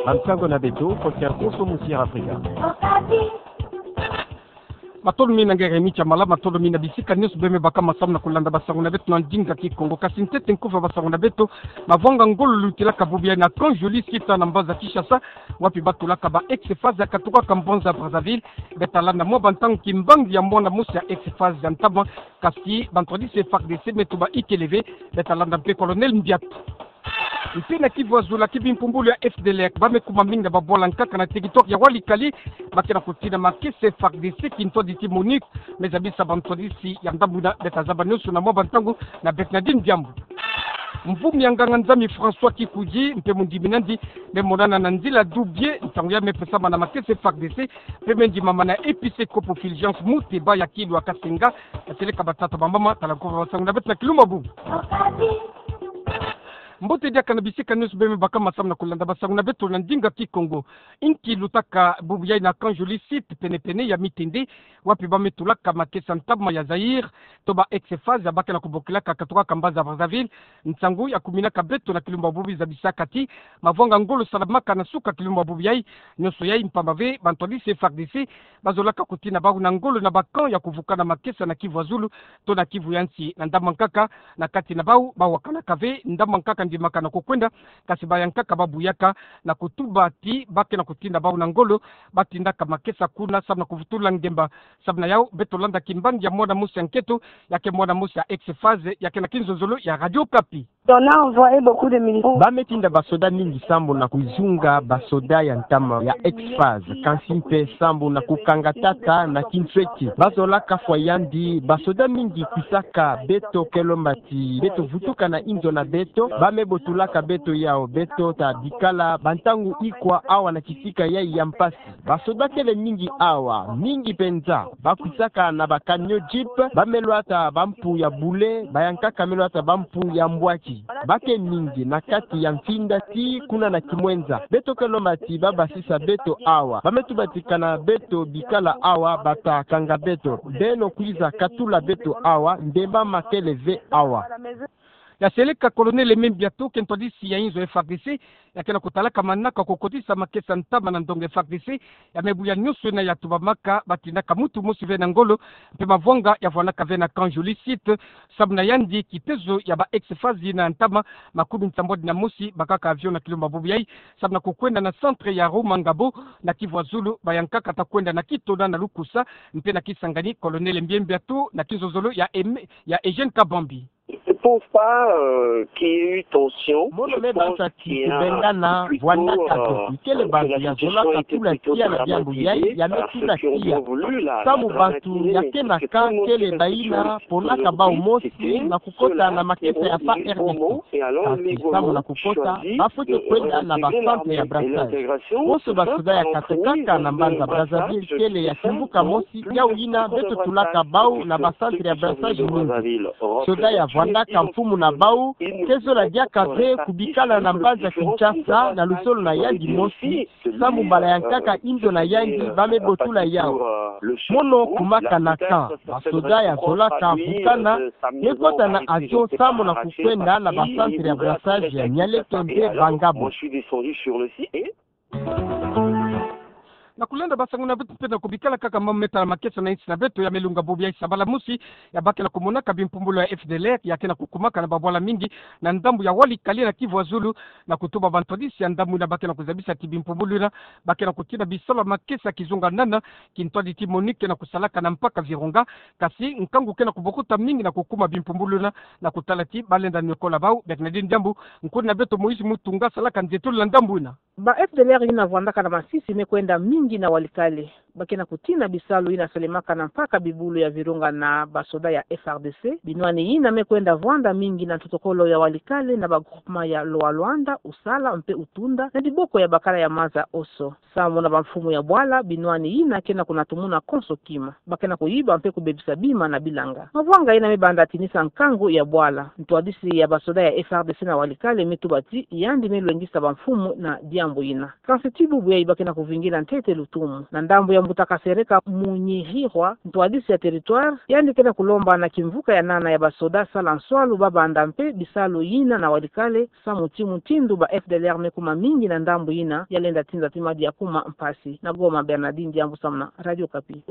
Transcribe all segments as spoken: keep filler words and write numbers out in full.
Bansango na beto, kotia koso musi ya Afrika. Matondo mingi na ngeremi tia mala, matondo mingi na bisika nyonso beme baka masamu na kulanda basango na beto na ndinga Kikongo. Kasi ntete nkufi ya basango na beto, mavwanga ngolo lutilaka bubu yayi na Camp Joli Site na mbanza Kinshasa, wapi batulaka ba ex-FAST ya katukaka mbanza Brazzaville. Beta landa mwa bantangu kimbangi ya mwana mosi ya ex-FAST ya ntama, kasi bantwadisi ya F A R D C me tuba ikele ve. Beta landa mpe Colonel Mbiatu. Mpe na Kivu ya Zulu, ki bimpumbulu ya F D L R bame kuma mingi na babwala nkaka na territoire ya Walikale, ba ke na kutina makesa ya F A R D C, kintwadi ti MONUC me zabisa bantwadisi ya ndambu yina. Beta zaba nyonso na mwa bantangu na Bernardine Diambu. Mvumi ya nganga-Nzambi François Kikudi mpe mondimi nandi me monana na nzila Doubié, ntangu yayi me pesama na makesa ya F A R D C mpe me ndimama na episcopo Fulgence Muteba ya Kilwa Kasenga, ya seleka batata, bamama, tala nkufi ya basango na beto na kilumbu ya bubu. Mbote diaka na bisika nyonso beme baka masamu na kulanda basango na beto na ndinga Kikongo. Inki lutaka bubu yayi na Camp Joli Site, pene-pene ya Mitende, wapi bame tulaka makesa ntama ya Zaïre, to ba ex-FAST ya ba ke na kubokilaka katukaka mbanza Brazzaville. Nsangu ya kuminaka beto na kilumbu ya bubu zabisaka ti mavwanga ngolo salamaka na suka kilumbu ya bubu yayi. Nyonso yayi mpamba ve bantwadisi ya F A R D C bazolaka kutina bau na ngolo na ba camp ya kuvukana makesa na Kivu ya Zulu to na Kivu ya nsi. Na ndambu ya nkaka, na kati na bau bawakanaka ve ndambu ya nkaka ndimaka na kukwenda, kasi baya nkaka babuyaka na kutuba ti ba ke na kutina bau na ngolo, batindaka makesa kuna samu na kuvutula ngemba. Samu na yau, beto landa kimbangi ya mwana mosi ya nketo, ya ke mwana mosi ya ex-FAST, ya ke na kinzonzolo ya Radio Okapi. On a envoyé beaucoup de militaires. Bame tinda basoda mingi sambu na kuzunga basoda ya ntama ya ex-FAST, kansi mpe sambu na kukanga tata na kinsweki. Bazolaka fwa yandi, basoda mingi kwisaka beto Kelomba ti beto vutuka na inzo na beto, bame botulaka beto yau, beto ta bikala bantangu ikwa awa na kisika yayi ya mpasi. Basoda kele mingi awa, mingi penza. Bakwisaka na ba camion jeep, bame lwata bampu ya bule, baya nkaka me lwata bampu ya mbwaki. Ba ke mingi na kati ya mfinda ti kuna na Kimwenza. Beto Kelomba ti babasisa beto awa. Bame tubatika na beto bikala awa, bata kanga beto. Beno kwiza katula beto awa, ndemba ma kele ve awa. Ya seleka Colonel Aimé Mbiatu, kintwadisi ya inzo F A R D C, ya ke na kutalaka manaka kukotisa makesa ntama na ndonga F A R D C, ya me buya nyonso yina ya tubamaka, batindaka muntu mosi ve na ngolo, mpe mavwanga ya vwanaka ve na Camp Joli Site, samu na yandi kitezo ya ba ex-FAST yina ntama makumi nsambwadi na mosi bakaka avion na kilumbu ya bubu yayi, samu na kukwenda na centre ya Rumangabo, na Kivu ya Zulu, baya nkaka ta kwenda na Kitona, na Lukusa, mpe na Kisangani. Colonel Aimé Mbiatu na kinzonzolo ya Aimé, ya Eugène Kabambi. Je pense pas, euh, qu'il y ait eu tension. Mono me basa ti kubengana vwanaka to. Ikele bantu ya zola katula tiya na diambu yayi, ya me tula tiya. Samu bantu ya ke na camp kele bayina ponaka bau mosi na kukota na makesa ya F A R D C. Kasi samu na kukota, bafwete kwenda na ba centre ya brassage. Bonso basoda ya katukaka na mbanza Brazzaville kele ya kimbuka mosi, yau yina beto tulaka bau na ba centre ya brassage mingi. Soda ya vwandaka mfumu na bau, ke zola diaka ve kubikala na mbanza Kinshasa na luzolo na yandi mosi, samu mbala ya nkaka inzo na yandi bame botula yau. Mono kumaka na camp, basoda ya zolaka vukana, me kota na avion samu na kukwenda na ba centre ya brassage ya Nialeto nde Bangabo. Na kulenda basango na beto mpe na kubikala kaka mambu me tala makesa na insi na beto, ya me lunga bubu yayi sabala mosi, ya ba ke na kumonaka bimpumbulu ya F D L R ya ke na kukumaka na babwala mingi na ndambu ya Walikale na Kivu ya Zulu, na kutuba bantwadisi ya ndambu yina ba ke na kuzabisa ti bimpumbulu yina ba ke na kutina bisalu ya makesa kizunga nana, kintwadi ti MONUC ke na kusalaka na mpaka Virunga. Kasi nkangu ke na kubokuta mingi na kukuma bimpumbulu yina, na kutala ti balenda niokola bau. Bernardine Diambu, nkuni na beto Moïse Mutunga, salaka nzietolo na ndambu yina. Ba F D L R yina vwandaka na masisi me kwenda mingi na Walikale. Ba ke na kutina bisalu yina salemaka na mpaka bibulu ya Virunga na basoda ya F A R D C. Binwani yina me kwenda vwanda mingi na ntotokolo ya Walikale na ba groupement ya Loa Luanda, Usala mpe Utunda, na diboko ya bakala ya maza Oso. Samu na bamfumu ya bwala, binwani yina ke na kunatumuna konso kima. Ba ke na kuyiba mpe kubebisa bima na bilanga. Mavwanga yina me banda tinisa nkangu ya bwala. Ntwadisi ya basoda ya F A R D C na Walikale me tuba ti yandi me lwengisa bamfumu na diambu yina. Kansi ti bubu yayi ba ke na kuvingila ntete lutumu. Na ndambu ya Mbuta Kasereka Munyihirwa, ntwadisi ya territoire, yandi ke na kulomba na kimvuka ya nana ya basoda sala nswalu ba banda mpe bisalu yina na walikale, samu ti mutindu ba F D L R me kuma mingi na ndambu yina, ya lenda tinda ti madi ya kuma mpasi. Na Goma, Bernardine Diambu samu na Radio Okapi.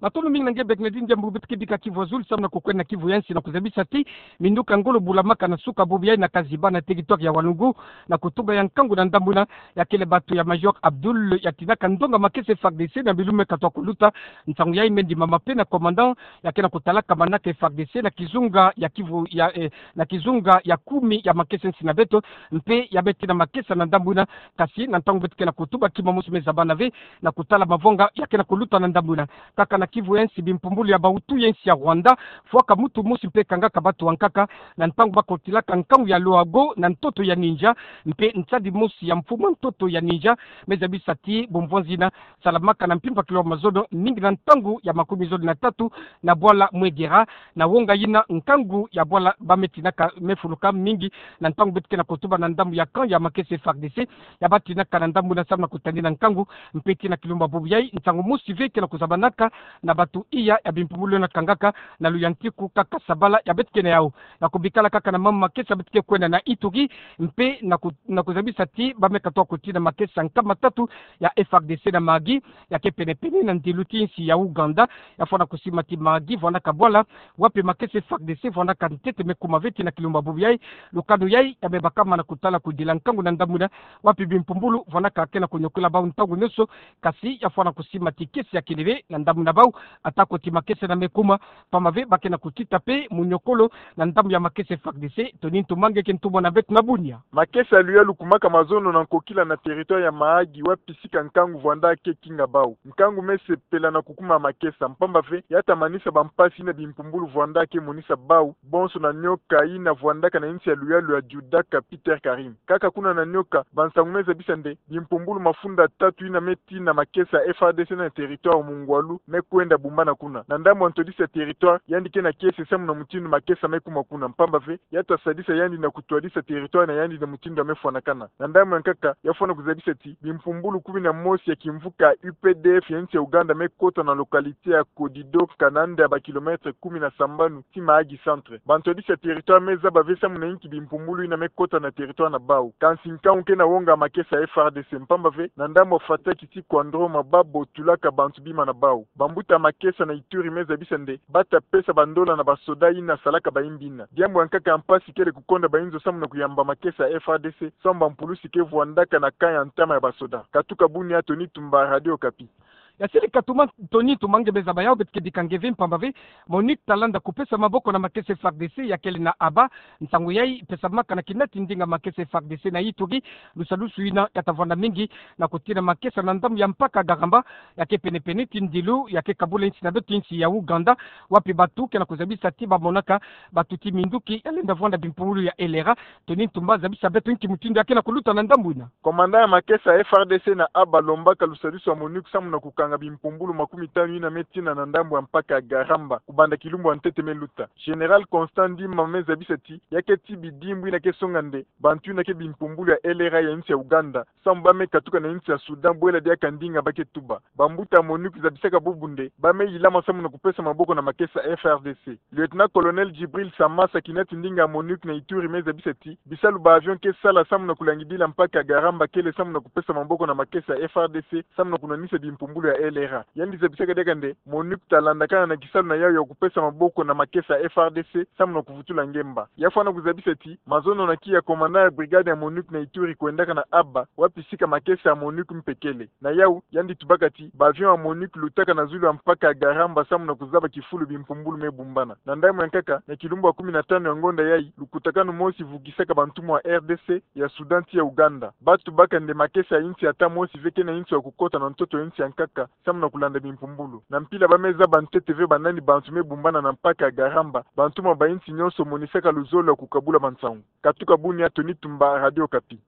Matondo mingi na nge Bernardine Diambu, beto ke bika Kivu Azul samu na kukwenda na Kivu ya Nsi na kuzabisa ti minduka ngolo bulamaka na suka bobo yayi na Kaziba na territoire ya Wanugu, na kutuba ya nkangu na ndambu yina, ya kele batu ya Major Abdul, ya tinaka ndonga makesa F A R D C na bilumbu me katoa kuluta. Nsangu yayi me ndimama mpe na commandant ya ke na kutalaka manaka F A R D C na kizunga ya Kivu ya, eh, na kizunga ya kumi ya makesa nsi na beto, mpe ya bete na makesa na ndambu yina. Kasi na ntangu beto ke na kutuba, kima mosi me zabana ve na kutala mavanga ya ke na kuluta na ndambu yina. Kaka na Kivu ya Nsi, bimpumbulu ya ba Hutu ya nsi ya Rwanda fwaka mutu mosi mpe kangaka batu bankaka na ntangu ba kotilaka nkangu ya Loago na ntoto ya Ninja, mpe nsadi mosi ya mfumu ntoto ya Ninja me zabisa ti bumvwanzi yina salamaka na mpimpa kilwa mazono mingi na ntangu ya makumi zole na tatu na bwala Mwegera. Na wonga yina, nkangu ya bwala ba me tinaka me fuluka mingi na ntangu beto ke na kutuba na ndambu ya camp ya makesa F A R D C ya ba tinaka na ndambu yina samu na kutadina nkangu. Mpe tii na kilumbu ya bubu yayi, nsangu mosi ve ke na kuzabanaka na batu iya ya bimpumbulu yina kangaka na luyantiku kaka sabala ya beto ke na yawu. Na kubikala kaka na mambu makesa, beto ke kwenda na Ituri, mpe na ku-, na kuzabisa ti ba me katoa kutina makesa nkama tatu ya F A R D C na Mahagi, ya ke penepene na ndilu ti nsi ya Ouganda. Ya fwana kusima ti Mahagi vwandaka bwala wapi makesa F A R D C vwandaka ntete me kuma ve tii na kilumbu ya bubu yayi. Lukanu yayi ya me bakama na kutala kudila nkangu na ndambu yina, wapi bimpumbulu vwandaka ke na kuniokola bawu ntangu nionso. Kasi ya fwana kusima ti kiese ya kele ve na ndambu na bawu, atako ti makesa yina me kuma, pamba ve ba ke na kutita mpe muniokolo na ndambu ya makesa F A R D C. Tony Ntumba, nge ke ntumwa na beto na Bunia. Makesa ya luyalu kumaka mazono na nkokila na territoire ya Mahagi, wapi sika nkangu vwanda ke kinga bawu. Nkangu me sepela na kukuma makesa, mpamba ve ya ta manisa bampasi yina bimpumbulu vwanda ke monisa bawu bonso na nioka yina vwandaka na nsi ya luyalu ya Judaka Peter Karim. Kaka kuna na nioka, bansangu me zabisa nde bimpumbulu mafunda tatu yina me tii na makesa F A R D C na territoire Mungwalu me kwenda bumbana kuna. Na ndambu ya ntwadisi ya territoire, yandi ke na kiese samu na mutindu makesa me kuma kuna, mpamba ve ya ta sadisa yandi na kutwadisa territoire na yandi na mutindu ya me fwanakana. Na ndambu ya nkaka, ya fwana kuzabisa ti bimpumbulu kumi na mosi ya kimvuka U P D F ya nsi ya Ouganda me kota na localité ya Kodido, kananda ya ba kilomètre kumi na sambanu ti Mahagi centre. Bantwadisi ya territoire me zaba ve samu na inki bimpumbulu yina me kota na territoire na bawu. Kansi nkangu ke na wonga makesa F A R D C, mpamba ve na ndambu ya fataki ti Kwandroma ba botulaka bantu bima na bawu. Bambuta makesa na Ituri me zabisa nde ba ta pesa bandola na basoda yina salaka bayimbi yina. Diambu ya nkaka ya mpasi kele kukonda bayinzo samu na kuyamba makesa F A R D C, samu bampulusi ke vwandaka na camp ya ntama ya basoda. Katuka Bunia, Tony Ntumba, Radio Okapi. Ya sili katuma Tony Ntumba, nge me zaba yawu, beto ke bika nge ve, mpamba ve MONUC ta landa kupesa maboko na makesa F A R D C ya kele na Aba. Nsangu yayi pesamaka na kinati ndinga makesa F A R D C na Ituri, lusalusu yina ya ta vwanda mingi na kutina makesa na ndambu ya mpaka Garamba, ya ke penepene ti ndilu ya ke kabula nsi na beto, nsi ya Ouganda, wapi batu ke na kuzabisa ti ba monaka batu ti minduki ya lenda vwanda bimpumbulu ya L R A. Tony Ntumba, zabisa beto inki mutindu ya ke na kuluta na ndambu yina. Commandant ya makesa F A R D C na Aba alombaka lusalusu ya MONUC samu na kukanga bimpumbulu makumi tanu yina me tina na ndambu ya mpaka Garamba, kubanda kilumbu ya ntete me luta. Général Constant Ndima me zabisa ti ya ke tii bidimbu yina ke songa nde bantu yina ke bimpumbulu ya L R A ya nsi ya Ouganda, samu ba me katuka na nsi ya Soudan bwela diaka ndinga ba ke tuba. Bambuta MONUC zabisaka bubu nde ba me yilama samu na kupesa maboko na makesa F A R D C. Lieutenant-colonel Djibril Samassa, kinati ndinga ya MONUC na Ituri, me zabisa ti bisalu ba avion ke sala samu na kulangidila mpaka Garamba kele samu na kupesa maboko na makesa F A R D C samu na kunwanisa bimpumbulu ya L R A. Yandi zabisaka diaka nde MONUC ta landakana na kisalu na yawu ya kupesa maboko na makesa F A R D C samu na kuvutula ngemba. Ya fwana kuzabisa ti mazono na kiya, commandant ya brigade ya MONUC na Ituri kwendaka na Aba, wapi sika makesa ya MONUC mpe kele. Na yawu, yandi tubaka ti ba avion ya MONUC lutaka na zulu ya mpaka ya Garamba samu na kuzaba kifulu bimpumbulu me bumbana. Na ndambu ya nkaka, na kilumbu ya kumi na tanu ya ngonda yayi, lukutakanu mosi vugisaka bantumwa ya R D C, ya Soudan ti ya Ouganda. Ba tubaka nde makesa ya insi ya ta mosi ve ke na inso ya kukota na ntoto ya insi ya nkaka samu na kulanda bimpumbulu. Na mpila ba me zaba ntete ve banani bantu me bumbana na mpaka ya Garamba, bantumwa ba insi nionso monisaka luzolo ya kukabula bansangu. Katuka Bunia, Tony Tumba, Radio Okapi.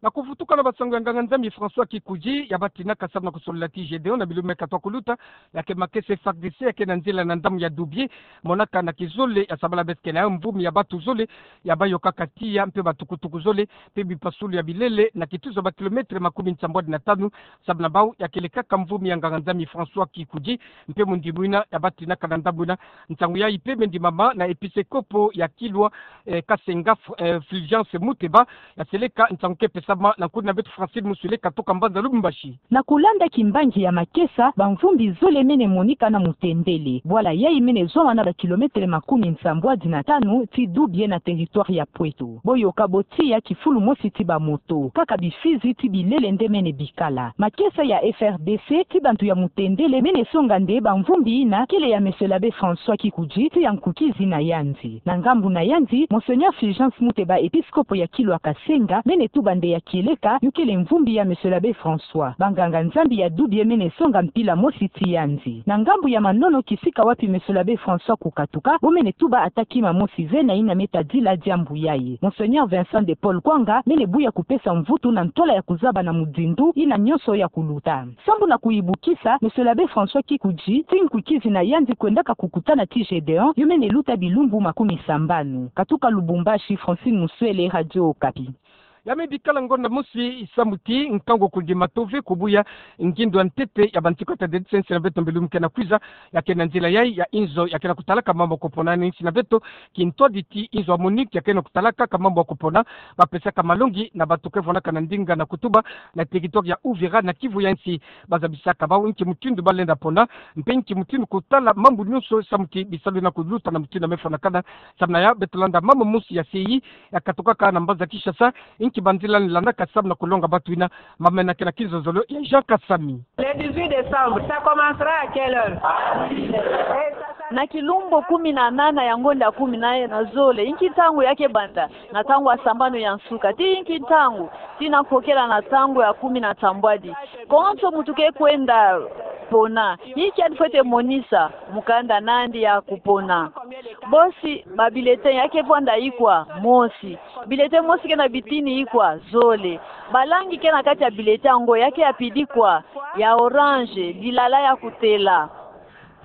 Na kuvutuka na basango ya nganga-Nzambi François Kikuji, ya batinaka samu na kusolila ti Gédéon na bilumbu me katwa kuluta, ya ke makesa F R D C, ya ke na nzila na ndambu ya Doubié, monaka na kizole ya sabala be tike na yo mvumi ya batu zole, ya bayokaka tiya, mpe batukutuku zole, mpe bipasulu ya bilele, na kituzo ba kilometre makumi nsambwadi na tanu, samu na bau ya kelekaka mvumi ya nganga-Nzambi François Kikuji, mpe mundi mwina ya batinaka na ndambu ina. Nsangu yayi mpe me ndimama na episekopo ya Kilwa, eh, Kasenga, eh, Fulgence Muteba, ya seleka nsangu ke pesama na nkuna beto Francine Musuele katoka mbanza Lubumbashi. Na kulanda kimbangi ya makesa, bamvumbi zole mene monika na mutendele. Bwala yayi mene zwama na ba kilometre makumi nsambwadi na tanu ti Doubié na territoire ya Poeto. Boyoka bo tiya kifulu mosi ti bamoto. Kaka bifizi ti bilele nde mene bikala. Makesa ya F R D C ti bantu ya mutendele mene songa nde bamvumbi ina kele ya Monsieur l'abbé François Kikuji, tiya nkukizi na yandi. Na ngambu na yandi, Monseigneur Fulgence Muteba, episkopo ya Kilwa Kasenga, mene tuba nde ya kieleka yo kele mvumbi ya Monsieur l'abbé François. Banganga-Nzambi ya Doubié mene songa mpila mosi ti yandi. Na ngambu ya manono, kisika wapi Monsieur l'abbé François kukatuka, bo mene tuba ata kima mosi ve na ina me tadila diambu yayi. Monseigneur Vincent de Paul Kwanga mene buya kupesa mvutu na ntola ya kuzaba na muzindu ina nyonso ya kuluta. Sambu na kuyibukisa, Monsieur l'abbé François Kikuji, ti nkukizi na yandi kwendaka kukutana ti Gédéon yo mene luta bilumbu makumi sambanu. Katuka Lubumbashi, Francine Musuele, Radio Okapi. Ya me bikala ngonda mosi samu ti nkangu kundima tove kubuya ngindu ya ntete ya bantikota dedise nsi na beto mbilumbu ke na kwiza, ya ke na nzila yayi ya inzo ya ke na kutalaka mambu ya kupona na insi na beto, kintwadi ti inzo ya MONUC ya ke na kutalaka ka mambu ya kupona, bapesaka malongi na bato ke vwanaka na ndinga na kutuba na territoire ya Uvira na Kivu ya nsi. Bazabisaka bau nki mutindu balenda pona, mpe nki mutindu kutala mambu nyonso samu ti bisalu na kuluta na mutindu ya me fwanakana. Samu na ya beto landa mama mosi ya C I I ya katokaka na mbanza Kinshasa, nki banzila landaka samu na kulonga bato ina. Mama ina ke na kinzonzolo ya Jean Kasami. Le dix-huit décembre, ça commencera à quelle heure? Na kilumbu kumi na nana ya ngonda kumi na zole, nki ntangu ya ke banda? Na ntangu ya sambanu ya nsuka. Ti nki ntangu? Tii na kukela na ntangu ya kumi na nsambwadi. Konso muntu ke kwenda pona, inki yandi fwete monisa? Mukanda nandi ya kupona. Bosi, ba bulletin ya ke vwanda ikwa? Mosi. Bulletin mosi ke na bitini ikwa? Zole. Ba langi ke na kati ya bulletin yango ya ke ya pidi kwa? Ya orange, dilala ya kutela,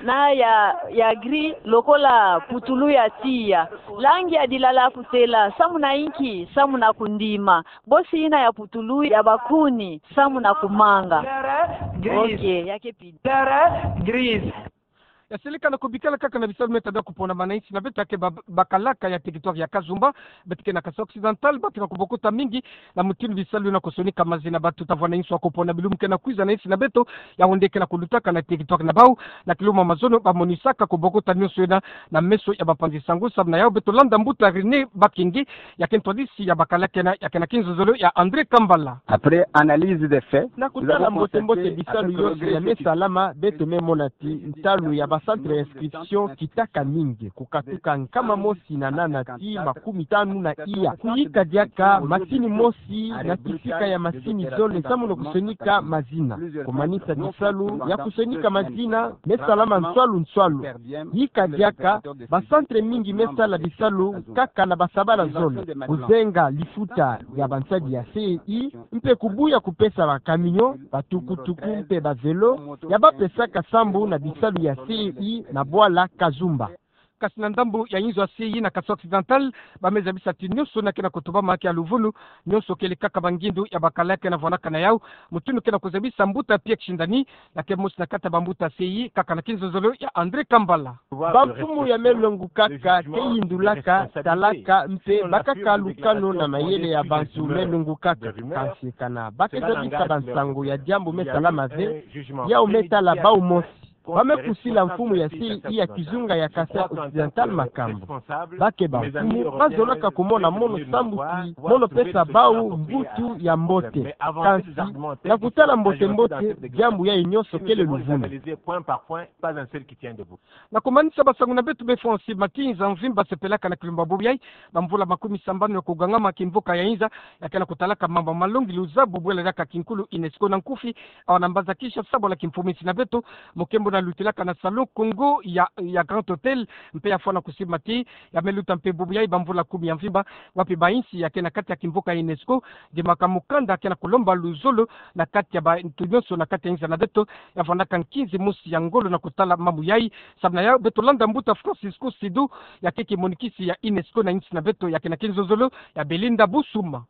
na ya, ya gris, lokola putulu ya tiya. Langi ya dilala ya kutela, samu na inki? Samu na kundima. Bosi, ina ya putulu ya bakuni, samu na kumanga. Ok, ya ke pidi. Ya seleka na kubikala kaka na bisalu me tadila kupona mana insi na beto ya ke ba-, bakalaka ya territoire ya Kazumba, beto ke na Kasai Occidental, bato ke na kubokota mingi na mutindu bisalu na kusonika mazina bato ta vwanda inso ya kupona bilumbu ke na kwiza na insi na beto, ya onde ke na kulutaka na territoire na bau. Na kilumbu ya mazono, bamonisaka kubokota nyonso ina na meso ya bapanzi sango. Samu na yau beto landa mbuta René Bakenge, ya ke ntwadisi ya bakalaka ina, ya ke na kinzonzolo ya André Kambala. Après analyse des faits, na kutala mbote-mbote bisalu yonso ya me salama, beto me mona ti ntalu ya ba centre ya inscription kitaka mingi, kukatuka nkama mosi na nana tii makumi tanu na iya. Kuyika diaka masini mosi na kisika ya masini zole samu na kusonika mazina. Kumanisa bisalu ya kusonika mazina me salama nswalu nswalu. Yika diaka, ba centre mingi me sala bisalu kaka na basabala zole. Kuzenga lifuta ya bansadi ya C E I, mpe kubuya kupesa ba camion, ba tukutuku mpe ba vélo ya bapesaka sambu na bisalu ya C E I na bwala Kazumba. Kasi na ndambu ya inzo ya C E I na Kasai Occidental, ba me zabisa ti nyonso ina ke na kutubama ke ya luvunu, nyonso kele kaka ba ngindu ya bakalaka ina vwanaka na yau. Mutindu ke na kuzabisa, mbuta Pierre Kishindani, ya ke mosi na kati ya bambuta C E I, kaka na kinzonzolo ya André Kambala. Bamfumu ya me longukaka ke yindulaka, talaka, mpe bakaka lukano na mayele ya bantu me longukaka. Kansi kana ba ke zabisa bansango ya diambu me salama ve, yau me tala bau mosi. Ba me kusila mfumu ya C E I ya kizunga ya Kasai Occidental makambu. Ba ke bamfumu, ba zolaka kumona mono sambu ti mono pesa bau mvutu ya mbote. Kansi, na kutala mbote-mbote, diambu yayi nyonso kele luvunu. Na kumanisa basango na beto, be fonsi matinza mvimba sepelaka na kilumbu ya bubu yayi, bamvula makumi sambanu ya kugangama kimvuka ya inza ya ke na kutalaka mambu malongi, luzabu bwela diaka kinkulu UNESCO na nkufi, awa na mbanza Kinshasa, bwala kimfumu insi na beto, mukembo Lutilaka na Salon Congo ya, ya Grand Hôtel, mpe ya fwana kusimati, ya me luta mpe bubu yai ba mvula kumi ya mvimba, wapi ba insi ya ke na kati ya kimvuka UNESCO, dimaka mukanda ya ke na kulomba luzolo na kati ya bantu nyonso na kati ya inza na beto, ya fwanaka nkinzi mosi ya ngolo na kutala mambu yai. Samu na yau beto landa mbuta Francisco Sidu, ya ke kimonikisi ya UNESCO na insi na beto, ya ke na kinzonzolo ya Belinda Busuma.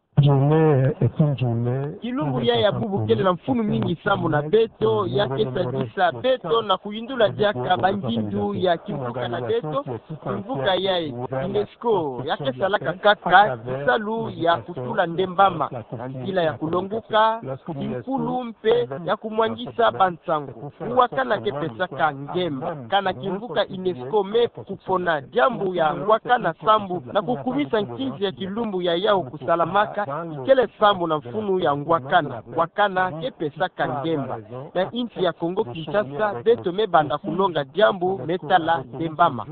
Kilumbu yai ya bubu kele na mfunu mingi sambu na beto, ya ke sadisa beto na kuyindula diaka bangindu ya kimvuka na beto. Kimvuka yai UNESCO ya ke salaka kaka kisalu ya kutula nde mbama, na nzila ya kulonguka kinkulu mpe ya kumwangisa bansangu. Ngwakana ke pesaka ngemba. Kana kimvuka UNESCO me kupona diambu ya ngwakana sambu na kukumisa nkinzi ya kilumbu ya yau kusalamaka, ikele sambu na mfunu ya ngwakana. Ngwakana ke pesaka ngemba. Na insi ya Congo Kinshasa, beto me banda kulonga diambu me tala nde mbama.